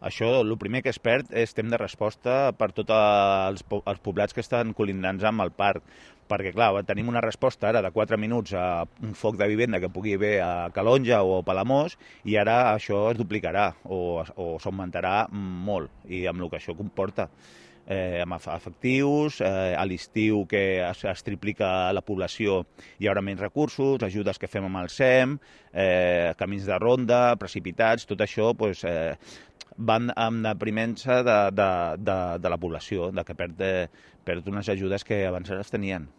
Això, el primer que es perd és temps de resposta per tots els poblats que estan col·linants amb el parc, perquè, clar, tenim una resposta ara de 4 minuts a un foc de vivenda que pugui haver a Calonja o a Palamós, i ara això es duplicarà o s'augmentarà molt, i amb el que això comporta. Amb efectius, a l'estiu que es triplica la població hi haurà menys recursos, ajudes que fem amb el SEM, camins de ronda, precipitats, tot això van amb deprimença de la població, que perd unes ajudes que abans es tenien.